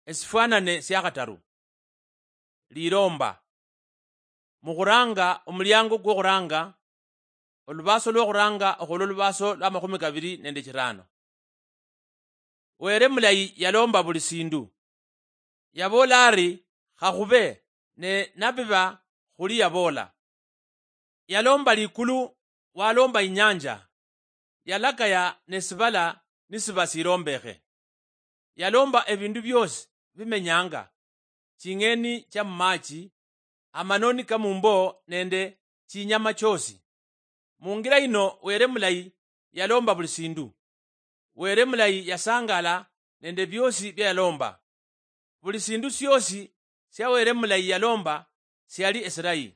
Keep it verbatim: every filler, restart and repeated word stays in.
Esifwanane sia khataru. Lilomba. Mukhuranga, omuliango kwokhuranga, olubaaso lwokhuranga okhulwa olubaaso lwa makhumi kabili nende chirano. Were mulayi yalomba buli sindu. Yaboola ari, "Khakhube," ne nabiba khuli yaboola. Yalomba likulu, walomba inyanja, yalakaya ne sibala nisiba silombekhe. Yalomba ebindu biosi bimenyanga, ching'eni chia mumachi, amanoni ka mumbo nende chinyama chiosi. Mungira yino Were mulayi yalomba buli sindu. Were mulayi yasangala nende biosi bia yalomba. Buli sindu siosi sia Were mulayi yalomba siali esilayi.